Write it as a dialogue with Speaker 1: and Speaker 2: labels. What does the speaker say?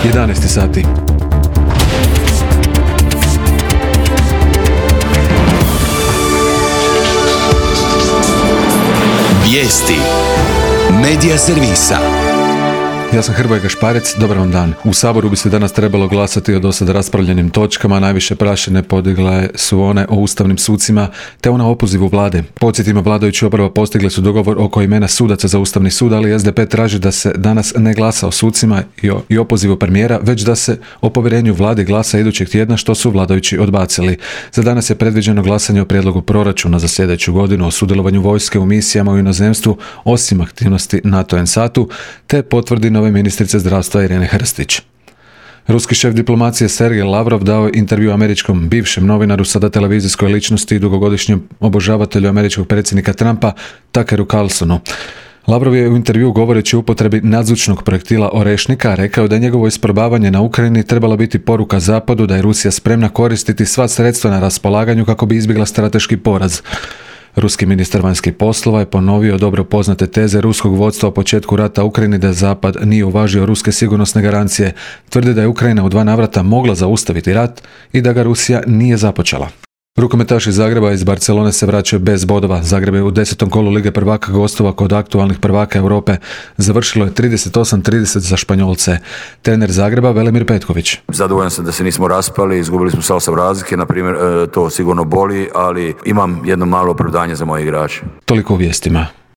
Speaker 1: 11 sati.
Speaker 2: Vijesti Medija servisa.
Speaker 1: Ja sam Hrvoje Gašparec, dobar vam dan. U Saboru bi se danas trebalo glasati o dosad raspravljenim točkama, najviše prašine podigle su one o ustavnim sucima te ona o opozivu vlade. Podsjetimo, vladajući oporba postigli su dogovor oko imena sudaca za Ustavni sud, ali SDP traži da se danas ne glasa o sucima i opozivu premijera, već da se o povjerenju vladi glasa idućeg tjedna, što su vladajući odbacili. Za danas je predviđeno glasanje o prijedlogu proračuna za sljedeću godinu, o sudjelovanju vojske u misijama u inozemstvu, osim aktivnosti NATO-NSAT-u, te potvrdi nove ministrice zdravstva Irene Hrstić. Ruski šef diplomacije Sergej Lavrov dao je intervju američkom bivšem novinaru, sada televizijskoj ličnosti i dugogodišnjem obožavatelju američkog predsjednika Trumpa, Tuckeru Carlsonu. Lavrov je u intervju, govoreći o upotrebi nadzvučnog projektila Orešnika, rekao da je njegovo isprobavanje na Ukrajini trebala biti poruka Zapadu da je Rusija spremna koristiti sva sredstva na raspolaganju kako bi izbjegla strateški poraz. Ruski ministar vanjskih poslova je ponovio dobro poznate teze ruskog vodstva o početku rata u Ukrajini da Zapad nije uvažio ruske sigurnosne garancije. Tvrdi da je Ukrajina u 2 navrata mogla zaustaviti rat i da ga Rusija nije započela. Rukometaši Zagreba iz Barcelone se vraćaju bez bodova. Zagreb je u 10. kolu Lige prvaka gostova kod aktualnih prvaka Europe. Završilo je 38-30 za Španjolce. Trener Zagreba Velimir Petković.
Speaker 3: Zadovoljan sam da se nismo raspali, izgubili smo sa 8 razlike, na primjer, to sigurno boli, ali imam jedno malo opravdanje za moje igrače.
Speaker 1: Toliko u vijestima.